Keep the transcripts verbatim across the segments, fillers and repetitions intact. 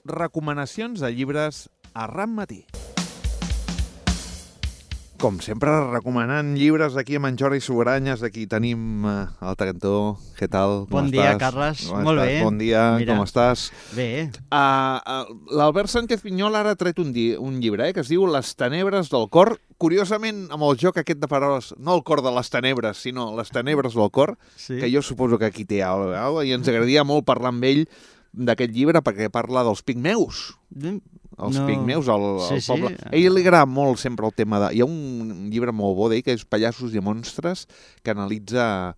Recomanacions de llibres a Ram Matí. Com sempre, recomanant llibres aquí amb en Jordi Sugranyes. Aquí tenim uh, al cantó. Què tal? Com bon estàs? dia, Carles. Com Molt estàs? bé. Bon dia, Mira. com estàs? Bé. Uh, uh, L'Albert Sánchez Pinyol ara ha tret un, di un llibre eh, que es diu Les tenebres del cor. Curiosament, amb el joc aquest de paraules, no el cor de les tenebres, sinó les tenebres del cor, Sí. que jo suposo que aquí té alguna cosa, i ens agradaria molt parlar amb ell d'aquest llibre perquè parla dels pigmeus. Els No. pigmeus, el, Sí, el poble. sí. A ell li agrada molt sempre el tema de... Hi ha un llibre molt bo d'ell que és Pallassos i monstres, que analitza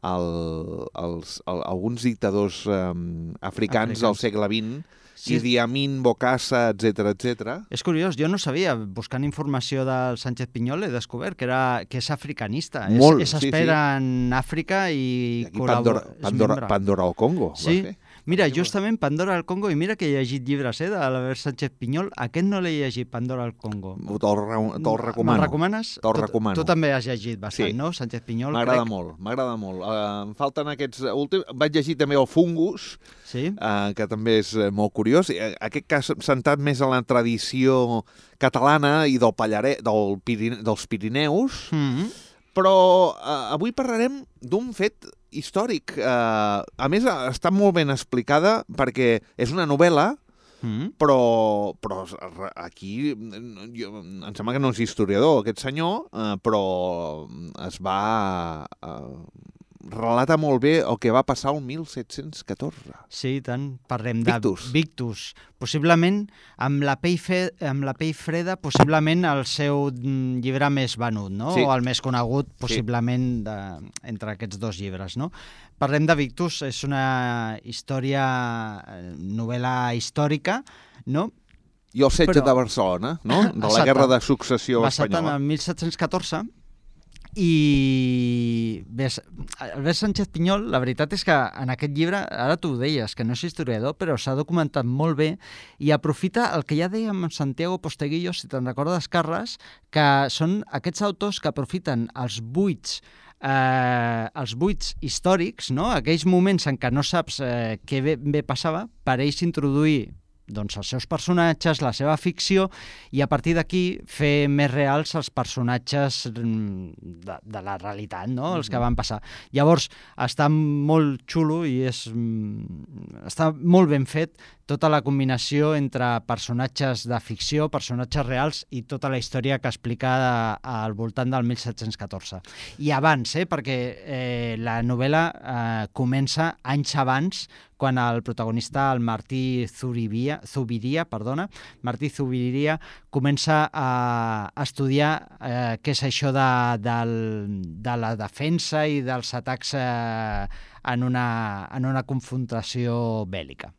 el, els, el, alguns dictadors um, africans, Africans. del segle vint, Sí. Idi Amin, Bokassa, etcètera, etcètera. És curiós, jo no sabia, buscant informació del Sánchez Pinyol he descobert que, era, que és africanista. Molt, és, és sí, espera sí. en Àfrica i, I aquí col·labora... Pandora, és Pandora, membre. Pandora al Congo. va Sí. fer. Mira, Aquí va. justament Pandora al Congo, i mira que he llegit llibres eh, de l'Albert Sánchez Pinyol, aquest no l'he llegit, Pandora al Congo. Te'l re- te'l recomano. Me'l recomanes? Te'l Tu- recomano. Tu també has llegit bastant, Sí. no? Sánchez Pinyol, M'agrada crec. molt, m'agrada molt. Uh, em falten aquests últims... Vaig llegir també el Fungus, Sí? uh, que també és uh, molt curiós. Uh, aquest cas centrat més en la tradició catalana i del Pallaret, del Pirine, dels Pirineus, Mm -hmm. però uh, avui parlarem d'un fet històric. Uh, a més, està molt ben explicada perquè és una novel·la, Mm -hmm. però, però aquí jo, em sembla que no és historiador aquest senyor, eh, però es va eh, relata molt bé el que va passar el mil set-cents catorze. Sí, i tant. Parlem de Victus. Victus. Possiblement, amb la pell, fe... amb la pell freda, possiblement el seu mm, llibre més venut, no? Sí. O el més conegut, possiblement, de... entre aquests dos llibres, no? Parlem de Victus, és una història, eh, novel·la històrica, no? I el setge Però- de Barcelona, no? De la Exacte. Guerra de Successió Basat en Espanyola. el mil set-cents catorze, i bé, Albert Sánchez Pinyol, la veritat és que en aquest llibre, ara tu ho deies, que no és historiador, però s'ha documentat molt bé i aprofita el que ja dèiem amb Santiago Posteguillo, si te'n recordes, Carles, que són aquests autors que aprofiten els buits eh, els buits històrics, no? Aquells moments en què no saps eh, què bé, bé passava, per ells introduir doncs, els seus personatges, la seva ficció, i a partir d'aquí fer més reals els personatges de, de la realitat, no? Els que van passar. Llavors, està molt xulo i és, està molt ben fet tota la combinació entre personatges de ficció, personatges reals i tota la història que explica al voltant del mil set-cents catorze. I abans, eh, perquè eh, la novel·la eh, comença anys abans, quan el protagonista, el Martí Zuribiria, Zubiria, perdona, Martí Zubiria, comença a estudiar eh, què és això de, de, de la defensa i dels atacs eh, en, una, en una confrontació bèl·lica.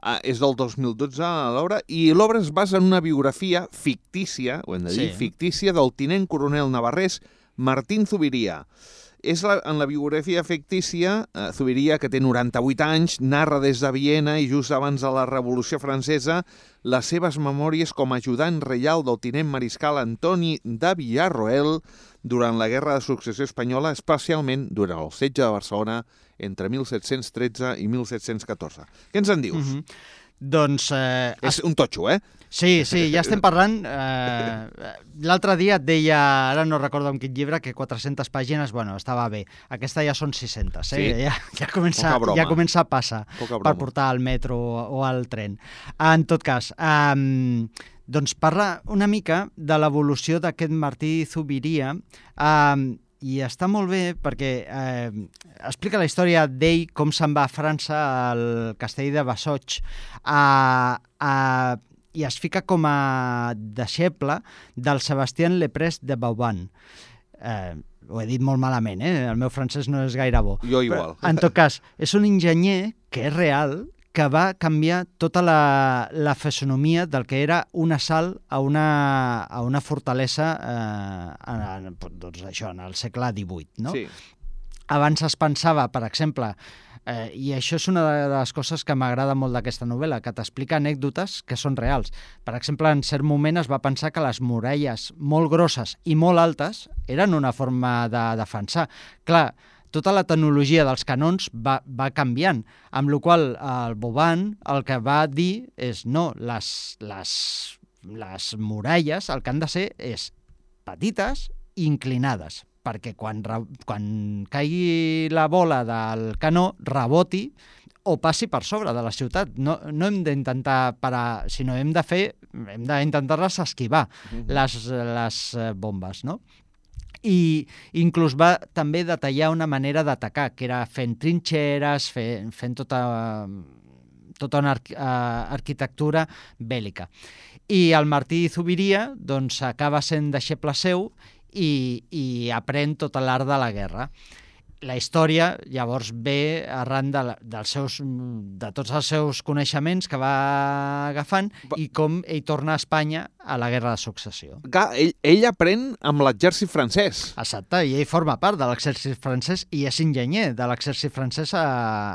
Ah, és del dos mil dotze, l'obra, i l'obra es basa en una biografia fictícia, ho hem de dir, Sí. fictícia, del tinent coronel navarrès Martín Zubiria. És la, en la biografia fictícia, eh, Zubiria, que té noranta-vuit anys, narra des de Viena i just abans de la Revolució Francesa les seves memòries com a ajudant reial del tinent mariscal Antoni de Villarroel durant la Guerra de Successió Espanyola, especialment durant el setge de Barcelona entre mil set-cents tretze i mil set-cents catorze. Què ens en dius? Mm -hmm. Doncs... Eh, És un totxo, eh? Sí, sí, ja estem parlant... Eh, L'altre dia et deia, ara no recordo en quin llibre, que quatre-centes pàgines, bueno, estava bé. Aquesta ja són sis-centes, eh? Sí. Ja, ja, comença, Poca broma. ja comença a passar Poca broma. per portar al metro o al tren. En tot cas, eh, doncs parla una mica de l'evolució d'aquest Martí Zubiria, eh, i està molt bé perquè eh, explica la història d'ell, com se'n va a França, al castell de Bassotx, a, a, i es fica com a deixeble del Sebastián Leprest de Vauban. Eh, ho he dit molt malament, eh? El meu francès no és gaire bo. Jo igual. Però, en tot cas, és un enginyer que és real, que va canviar tota la, la fisonomia del que era un assalt a una, a una fortalesa eh, en, en, doncs això, en el segle divuit, no? Sí. Abans es pensava, per exemple, eh, i això és una de les coses que m'agrada molt d'aquesta novel·la, que t'explica anècdotes que són reals. Per exemple, en cert moment es va pensar que les muralles molt grosses i molt altes eren una forma de defensar. Clar, tota la tecnologia dels canons va, va canviant, amb la qual el Vauban el que va dir és no, les, les, les muralles el que han de ser és petites i inclinades, perquè quan, quan caigui la bola del canó reboti o passi per sobre de la ciutat. No, no hem d'intentar parar, sinó hem de fer, hem d'intentar-les esquivar, uh-huh. les, les bombes, no? I inclús va també detallar una manera d'atacar, que era fent trinxeres, fent, fent tota, tota una arqu arquitectura bèl·lica. I el Martí Zuviria doncs, acaba sent deixeble seu i, i aprèn tot l'art de la guerra. La història llavors ve arran de, dels seus, de tots els seus coneixements que va agafant i com ell torna a Espanya a la Guerra de Successió. Clar, ell, ell aprèn amb l'exèrcit francès. Exacte, i ell forma part de l'exèrcit francès i és enginyer de l'exèrcit francès a,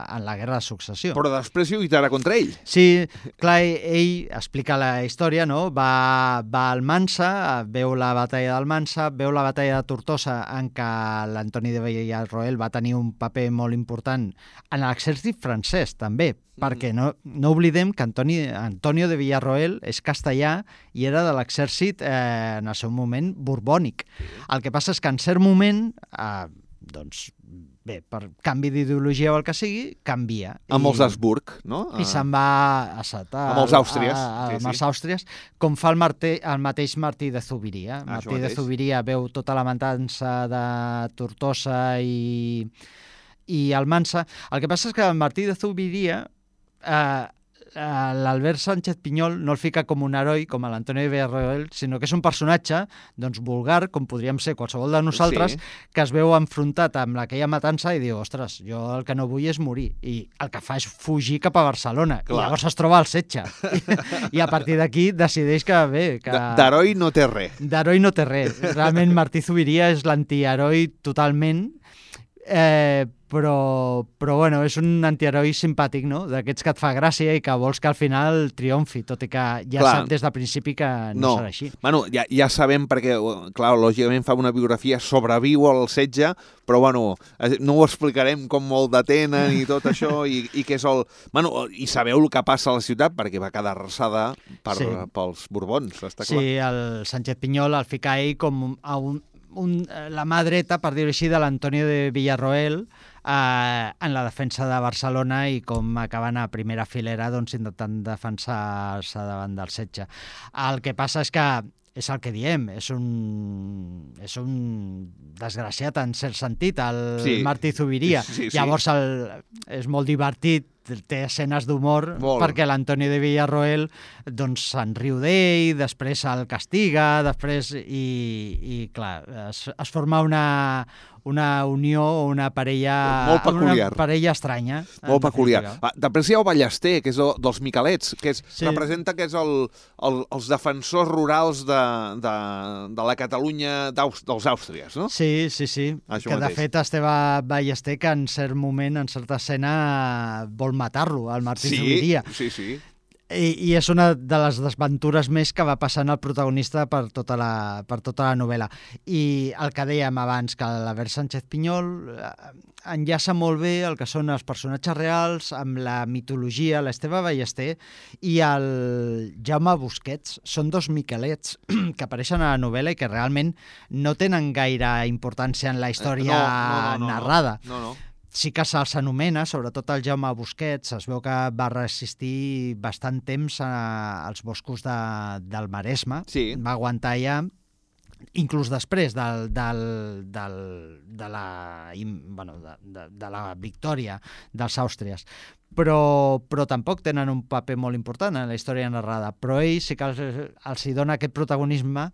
a la Guerra de Successió. Però després lluitarà contra ell. Sí, clar, ell explica la història, no? Va, va al Mansa, veu la batalla del Mansa, veu la batalla de Tortosa en què l'Antoni de Villarroel va tenir un paper molt important en l'exèrcit francès, també, mm. perquè no, no oblidem que Antoni, Antonio de Villarroel és castellà i era de l'exèrcit, eh, en el seu moment, borbònic. El que passa és que en cert moment, eh, doncs, bé, per canvi d'ideologia o el que sigui, canvia. Amb I, els Habsburg, no? I se'n va a Sata, amb els Àustries. A, a, sí, amb sí. els Àustries, com fa el, Martí, el mateix Martí de Zuviria. Ah, Martí de Zuviria veu tota la matança de Tortosa i, i Almansa. El que passa és que el Martí de Zuviria... Eh, l'Albert Sánchez Pinyol no el fica com un heroi, com l'Antonio de Villarroel, sinó que és un personatge doncs, vulgar, com podríem ser qualsevol de nosaltres, sí. que es veu enfrontat amb aquella matança i diu, ostres, jo el que no vull és morir. I el que fa és fugir cap a Barcelona. Clar. I llavors es troba al setge. I, i a partir d'aquí decideix que bé... Que... D'heroi no té res. D'heroi no té res. Realment Martí Zuviria és l'antiheroi totalment, eh, però, però bueno, és un antiheroi simpàtic, no? D'aquests que et fa gràcia i que vols que al final triomfi, tot i que ja clar. Sap des del principi que no, no. serà així. Bueno, ja, ja sabem perquè, clar, lògicament fa una biografia, sobreviu al setge, però bueno, no ho explicarem com molt detenen i tot això, i, i que és el... Bueno, i sabeu el que passa a la ciutat perquè va quedar arrasada per, sí. pels Borbons, està clar. Sí, el Sánchez Pinyol el fica ell com a un, un, la mà dreta, per dir-ho així, de l'Antonio de Villarroel, Eh, en la defensa de Barcelona i com acaben a primera filera doncs, intentant defensar-se davant del setge. El que passa és que és el que diem, és un, és un desgraciat en cert sentit, el sí. Martí Zuviria. Sí, sí. Llavors el, és molt divertit, té escenes d'humor perquè l'Antonio de Villarroel doncs se'n riu d'ell, després el castiga, després i, i clar, es, es forma una, una unió o una parella molt peculiar. Una parella estranya. Molt peculiar. Va, després hi ha el Ballester, que és el, dels Miquelets, que és, sí. representa que és el, el, els defensors rurals de, de, de la Catalunya dels Àustries, no? Sí, sí, sí. Això que mateix. De fet Esteve Ballester, que en cert moment, en certa escena, vol matar-lo, el Martí sí, Zuviria. Sí, sí, sí. I, I és una de les desventures més que va passant el protagonista per tota la, per tota la novel·la. I el que dèiem abans, que l'Albert Sánchez Pinyol enllaça molt bé el que són els personatges reals amb la mitologia, l'Esteve Ballester i el Jaume Busquets. Són dos Miquelets que apareixen a la novel·la i que realment no tenen gaire importància en la història no, no, no, no, narrada. No, no. no. Sí que se'ls anomena, sobretot el Jaume Busquets, es veu que va resistir bastant temps a, als boscos de, del Maresme, sí. va aguantar ja, inclús després del, del, del, de, la, bueno, de, de, de la victòria dels Àustries. Però, però tampoc tenen un paper molt important en la història narrada, però ell sí que els, els hi dona aquest protagonisme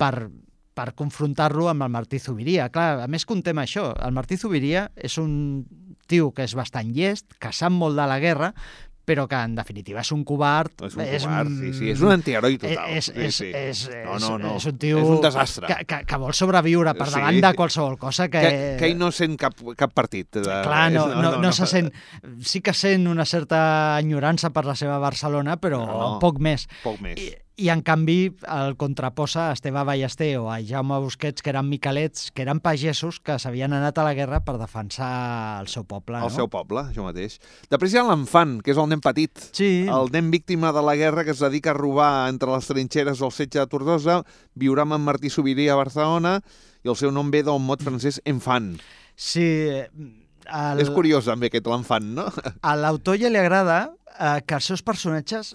per... per confrontar-lo amb el Martí Zuviria. Clar, a més contem això, el Martí Zuviria és un tio que és bastant llest, que sap molt de la guerra, però que en definitiva és un covard. És un és covard, un... sí, sí, és un antiheroi total. És, sí, és, sí. és, no, no, no. és un tio és un desastre. Que, que, que vol sobreviure per davant sí. de qualsevol cosa. Que, que, que ell no sent cap, cap partit. De... Clar, no, no, no, no, no se sent... Sí que sent una certa enyorança per la seva Barcelona, però no, no. poc més. Poc més. I, I, en canvi, el contraposa a Esteve Ballester o a Jaume Busquets, que eren miquelets, que eren pagesos que s'havien anat a la guerra per defensar el seu poble. El no? seu poble, això mateix. Després hi ha l'Enfant, que és el nen petit. Sí. El nen víctima de la guerra que es dedica a robar entre les trinxeres del setge de Tortosa, viurà amb en Martí Subirà a Barcelona i el seu nom ve del mot francès enfant. Sí. El... És curiós també aquest l'Enfant, no? A l'autor ja li agrada eh, que els seus personatges,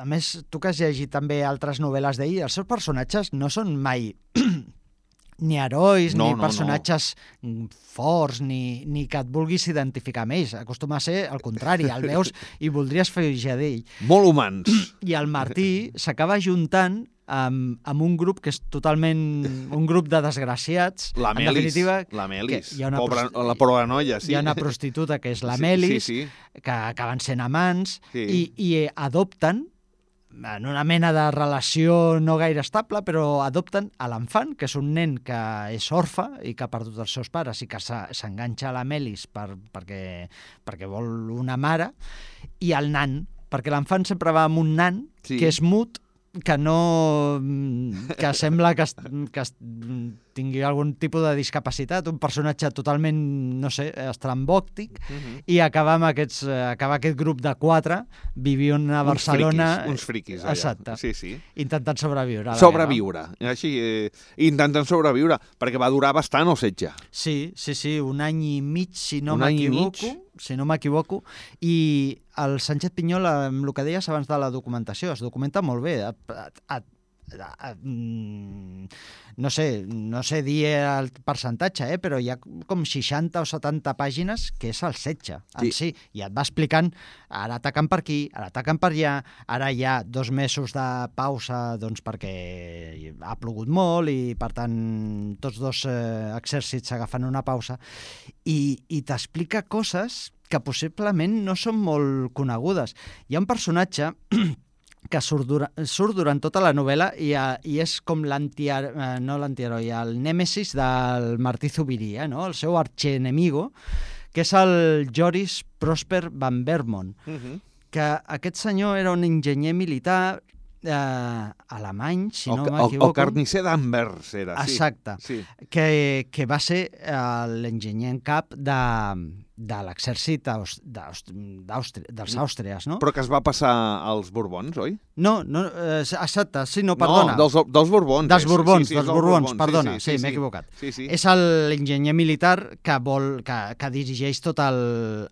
a més, tu que has llegit també altres novel·les d'ell, els seus personatges no són mai ni herois, no, ni no, personatges no. forts, ni, ni que et vulguis identificar amb ells. Acostuma a ser el contrari, el veus i voldries fer d'ell. Molt humans. I el Martí s'acaba juntant amb, amb un grup que és totalment un grup de desgraciats. La Melis, en definitiva, la Melis, pobra, la pobra noia, sí. Hi ha una prostituta que és la Melis, sí, sí, sí. que acaben sent amants, sí. i, i adopten, en una mena de relació no gaire estable, però adopten a l'Enfant, que és un nen que és orfe i que ha perdut els seus pares i que s'enganxa a la Melis per, perquè, perquè vol una mare, i el nan, perquè l'Enfant sempre va amb un nan sí. que és mut, que no... que sembla que, es, que es tingui algun tipus de discapacitat, un personatge totalment, no sé, estrambòctic, uh -huh. i acaba amb aquests, acaba aquest grup de quatre vivint a Barcelona... Uns friquis, uns friquis allà. Exacte. Sí, sí. Intentant sobreviure. Sobreviure. Així, eh, intentant sobreviure, perquè va durar bastant el setge. Sí, sí, sí, un any i mig, si no m'equivoco. si no m'equivoco, i el Sánchez Pinyol, amb el que deies abans de la documentació, es documenta molt bé. A, a, a, a, no sé, no sé dir el percentatge, eh, però hi ha com seixanta o setanta pàgines que és el setge en sí. sí, i et va explicant ara ataquen per aquí, ara ataquen per allà, ara hi ha dos mesos de pausa doncs perquè ha plogut molt i per tant tots dos eh, exèrcits agafen una pausa i, i t'explica coses que possiblement no són molt conegudes. Hi ha un personatge que surt, dura, surt durant tota la novel·la i, i és com l'antiheroi, eh, no l'antiheroi, el nèmesis del Martí Subirà, no? El seu archienemigo, que és el Joris Prosper van Vermont, uh -huh. que aquest senyor era un enginyer militar eh, alemany, si no m'equivoco. El carnisser d'Anvers era, sí. Exacte, sí. Que, que va ser eh, l'enginyer en cap de... de l'exèrcit dels Àustries, no? Però que es va passar als Borbons, oi? No, no eh, exacte, sí, no, perdona. No, dels, dels Borbons. Dels Borbons, sí, sí, dels Borbons, Borbons, perdona, sí, sí, sí, sí, m'he sí. equivocat. Sí, sí. És l'enginyer militar que vol que, que dirigeix tot el,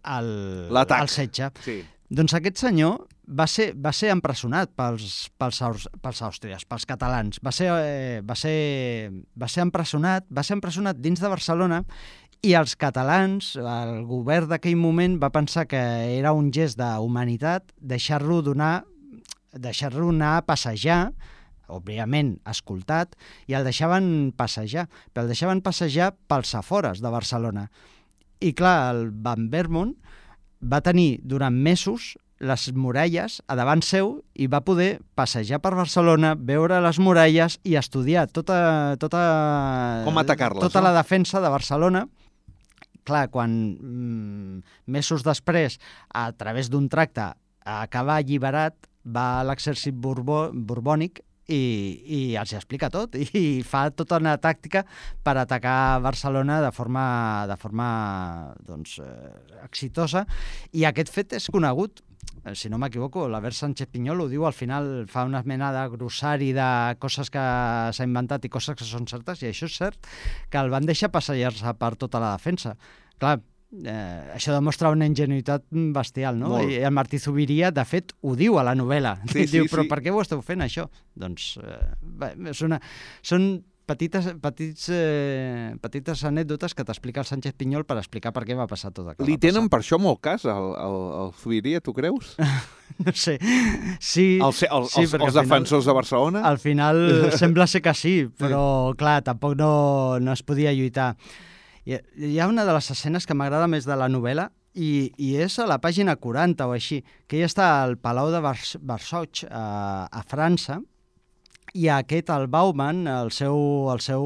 el, el setge. Sí. Doncs aquest senyor va ser, va ser empresonat pels, pels, pels àustries, pels catalans. Va ser, eh, va, ser, va ser empresonat, va ser empresonat dins de Barcelona i els catalans, el govern d'aquell moment va pensar que era un gest d'humanitat deixar-lo donar, deixar-lo anar a passejar, òbviament escoltat, i el deixaven passejar, però el deixaven passejar pels afores de Barcelona. I clar, el Van Vermont va tenir durant mesos les muralles a davant seu i va poder passejar per Barcelona, veure les muralles i estudiar tota, tota, com atacar-les, tota no? la defensa de Barcelona. Clar, quan mm, mesos després, a través d'un tracte, acaba alliberat, va a l'exèrcit borbó, borbònic i, i els explica tot i fa tota una tàctica per atacar Barcelona de forma, de forma doncs, eh, exitosa, i aquest fet és conegut. Si no m'equivoco, l'Albert Sánchez Pinyol ho diu al final, fa una mena de grossari de coses que s'ha inventat i coses que són certes, i això és cert, que el van deixar passejar-se per tota la defensa. Clar, eh, això demostra una ingenuïtat bestial, no? Molt. I el Martí Subirà, de fet, ho diu a la novel·la. Sí, diu, sí, però sí. per què ho esteu fent, això? Doncs eh, bé, és una, són petites, petits, eh, petites anècdotes que t'explica el Sánchez Pinyol per explicar per què va passar tot el que Li va tenen passar. per això molt cas al, al, al Subirà, tu creus? No sé, sí... El, el, sí, els els defensors final, de Barcelona? Al final sembla ser que sí, però clar, tampoc no, no es podia lluitar. Hi ha, hi ha una de les escenes que m'agrada més de la novel·la i, i és a la pàgina quaranta o així, que ella està al Palau de Versailles a, a França, i aquest, el Bauman, el seu, el seu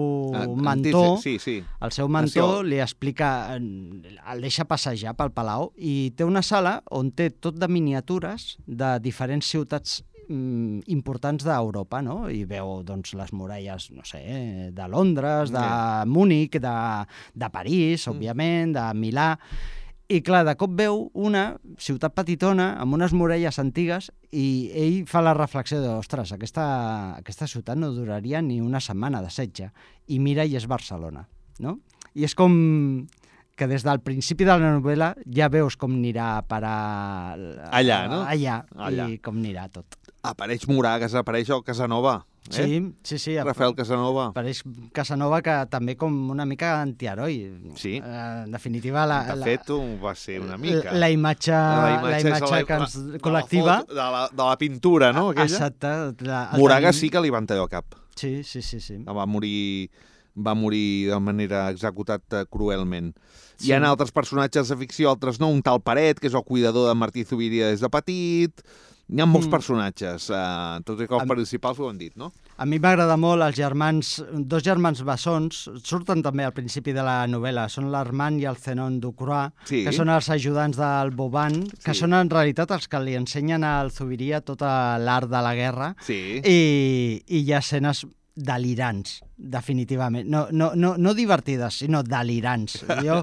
mentor, sí, sí. el seu mentor li explica, el deixa passejar pel Palau i té una sala on té tot de miniatures de diferents ciutats mm, importants d'Europa, no? I veu doncs, les muralles, no sé, de Londres, de Yeah. Múnich, de, de París, òbviament, de Milà. I clar, de cop veu una ciutat petitona amb unes muralles antigues i ell fa la reflexió de, ostres, aquesta, aquesta ciutat no duraria ni una setmana de setge. I mira i és Barcelona, no? I és com que des del principi de la novel·la ja veus com anirà a parar... Allà, no? Allà, Allà. i com anirà tot. Apareix Moragas, apareix el Casanova. Eh? Sí, sí, sí. Rafael Casanova. Apareix Casanova, que també com una mica antiheroi. Sí. Eh, en definitiva, la, De la, fet, ho va ser una mica. la, la imatge, la imatge, la imatge que ens, de la col·lectiva... foto, de, la, de la pintura, no? Aquella? Exacte. La, el Moragas tenim- sí que li van tallar el cap. Sí, sí, sí. sí. Va morir, va morir de manera executat eh, cruelment. Sí. Hi ha altres personatges de ficció, altres no. Un tal Paret, que és el cuidador de Martí Zubiria des de petit. Hi ha molts Mm. personatges. Eh, tots i que els Am- principals ho han dit, no? A mi m'agrada molt els germans, dos germans bessons, surten també al principi de la novel·la, són l'Armand i el Zenon Ducroix, Sí. que són els ajudants del Boban, que Sí. són en realitat els que li ensenyen al Zubiria tot l'art de la guerra, Sí. i, i hi ha escenes delirants, definitivament. No, no, no, no divertides, sinó delirants. Jo,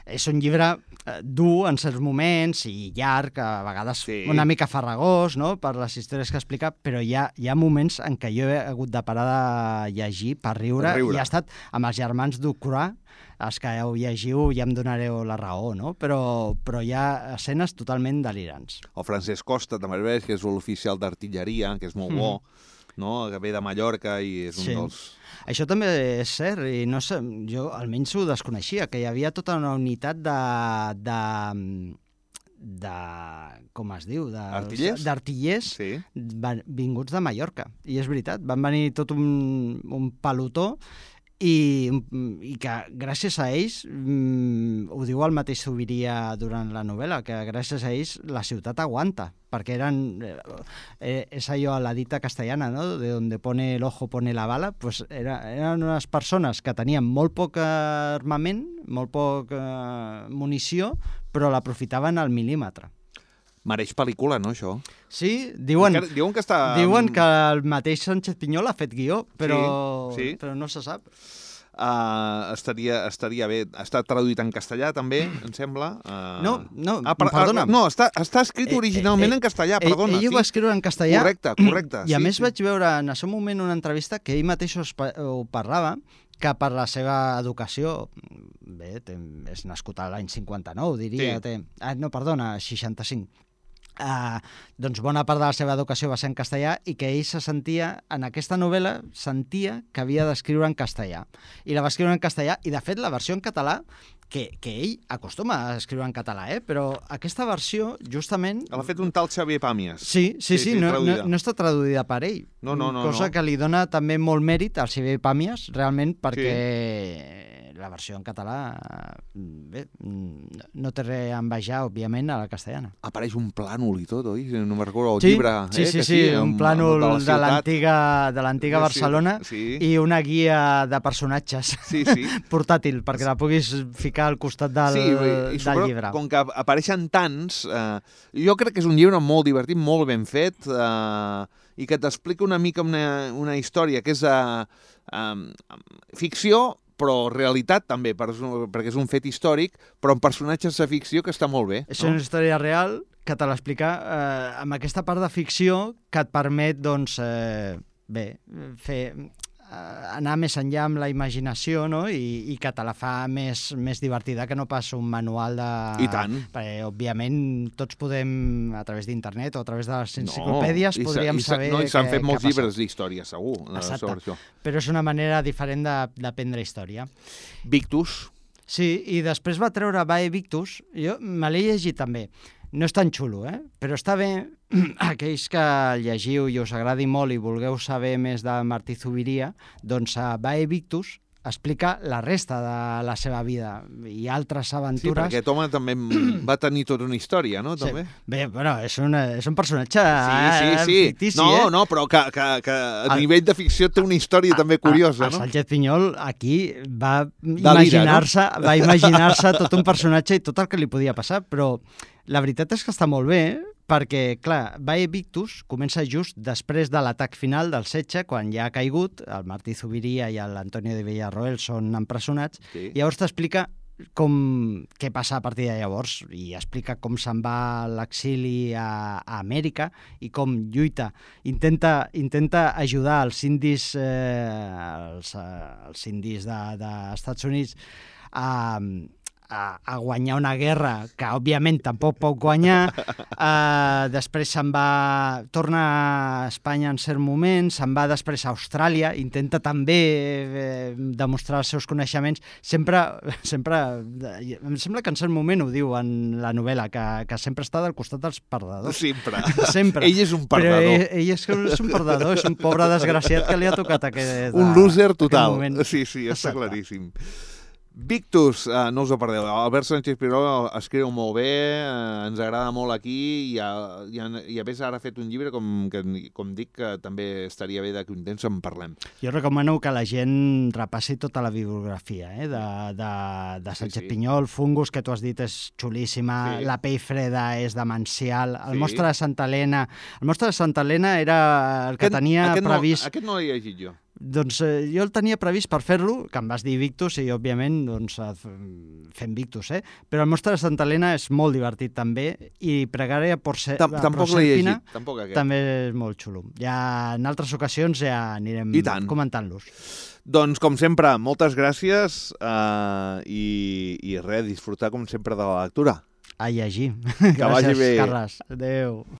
és un llibre eh, dur en certs moments i llarg, a vegades Sí. una mica farragós, no?, per les històries que explica, però hi ha, hi ha moments en què jo he hagut de parar de llegir per riure, Per riure. i ha estat amb els germans Ducroix, els que ho llegiu ja em donareu la raó, no? Però, però hi ha escenes totalment delirants. El Francesc Costa, també veus, que és l'oficial d'artilleria, que és molt bo, no? Que ve de Mallorca i és un Sí. dels... Això també és cert, i no sé, jo almenys ho desconeixia, que hi havia tota una unitat de... de de, com es diu? De, Artillers? D'artillers Sí. van, vinguts de Mallorca. I és veritat, van venir tot un, un pelotó i, i que gràcies a ells, mm, ho diu el mateix Zubiria durant la novel·la, que gràcies a ells la ciutat aguanta, perquè eren, eh, és allò, la dita castellana, no?, de donde pone el ojo pone la bala, pues era, eren unes persones que tenien molt poc armament, molt poc eh, munició, però l'aprofitaven al mil·límetre. Mereix pel·lícula, no, això? Sí, diuen, Encara, diuen que està... diuen que el mateix Sánchez Pinyol ha fet guió, però, Sí, sí. però no se sap. Uh, estaria, estaria bé. Està traduït en castellà, també, em sembla. Uh... No, no, ah, per, perdona. Ah, no, està, està escrit Eh, originalment eh, en castellà, Ell, perdona. ell ho sí. va escriure en castellà. Correcte, correcte. I a sí, més sí. vaig veure en el seu moment una entrevista que ell mateix ho, espa- ho parlava, que per la seva educació, bé, té, és nascut a l'any cinquanta-nou, diria, Sí. té, ah, no, perdona, seixanta-cinc. Uh, doncs bona part de la seva educació va ser en castellà i que ell se sentia, en aquesta novel·la, sentia que havia d'escriure en castellà. I la va escriure en castellà, i de fet la versió en català, que, que ell acostuma a escriure en català, eh? Però aquesta versió, justament... L'ha fet un tal Xavier Pàmies. Sí, sí, sí, Sí, sí, no, no, traduïda. no està traduïda per ell. No, no, no, Cosa no. que li dona també molt mèrit al Xavier Pàmies, realment, perquè la versió en català, bé, no té res a envejar, òbviament, a la castellana. Apareix un plànol i tot, oi? No me'n recordo el Sí, llibre. sí, eh, sí, que sí, un amb- plànol amb la de ciutat. l'antiga de l'antiga Sí, Barcelona sí. i una guia de personatges Sí, sí. portàtil, perquè la puguis ficar al costat del, sí, i del sobretot, llibre. com que apareixen tants, eh, jo crec que és un llibre molt divertit, molt ben fet, eh, i que t'explica una mica una, una història que és eh, eh, ficció, però realitat també, per, perquè és un fet històric, però amb personatges de ficció que està molt bé. És no? una història real que te l'explica eh, amb aquesta part de ficció que et permet, doncs, eh, bé, fer, eh, anar més enllà amb la imaginació, no?, I, i que te la fa més, més divertida que no pas un manual de... I tant. Perquè, òbviament, tots podem, a través d'internet o a través de les enciclopèdies, i s'ha- podríem i s'ha- saber no, i s'han què- fet què molts ha passat. llibres d'història, segur, eh, Exacte. sobre això. Però és una manera diferent de- d'aprendre història. Victus, Sí, i després va treure Vae Victus, jo me l'he llegit també. No és tan xulo, eh? Però està bé, aquells que llegiu i us agradi molt i vulgueu saber més de Martí Zubiria, doncs a Vae Victus explica la resta de la seva vida i altres sí, aventures. perquè aquest home també va tenir tota una història, no? També? Sí. Bé, bueno, és, una, és un personatge Sí, sí, eh, sí. fictici, no, eh? no, però que, que, que a El- nivell de ficció té una història també curiosa, el no? Sánchez Pinyol aquí va Delira, imaginar-se no? va imaginar-se tot un personatge i tot el que li podia passar, però la veritat és que està molt bé, perquè, clar, Valle Victus comença just després de l'atac final del setge, quan ja ha caigut, el Martí Zuviría i l'Antonio de Villarroel són empresonats, Sí. i llavors t'explica com, què passa a partir de llavors, i explica com se'n va a l'exili a, a Amèrica i com lluita, intenta, intenta ajudar els indis, eh, els, eh, els indis dels de, de Estats Units a, a, a guanyar una guerra que, òbviament, tampoc pot guanyar. Uh, després se'n va... Torna a Espanya en cert moment, se'n va després a Austràlia, intenta també eh, demostrar els seus coneixements. Sempre, sempre... Em sembla que en cert moment ho diu en la novel·la, que, que sempre està del costat dels perdedors. Sempre. Sempre. Ell és un perdedor. Però ell, ell és, és un perdedor, és un pobre desgraciat que li ha tocat aquest... Un loser total. moment. Sí, sí, està Exacte. claríssim. Victus, eh, no us ho perdeu. Albert Sánchez Piró escriu molt bé, eh, ens agrada molt aquí i a, i, a, i a més ara ha fet un llibre com, que, com dic que també estaria bé d'aquí un temps en parlem. Jo recomano que la gent repassi tota la bibliografia eh, de, de, de Sánchez Sí, sí. Pinyol. Fungus, que tu has dit, és xulíssima. Sí. La pell freda és demencial. El Sí. mostre de Santa Helena... El mostre de Santa Helena era el que tenia aquest previst... No, aquest no l'he llegit jo. Doncs eh, jo el tenia previst per fer-lo, que em vas dir Victus, i òbviament doncs, eh, fem Victus, eh? Però el mostre de Santa Helena és molt divertit també, i Pregària por ser, Tam tampoc l'he llegit, tampoc aquest. també és molt xulo. Ja en altres ocasions ja anirem I tant. comentant-los. Doncs, com sempre, moltes gràcies eh, i, i res, disfrutar com sempre de la lectura. A llegir. Que vagi Gràcies, bé. Carles. Adéu.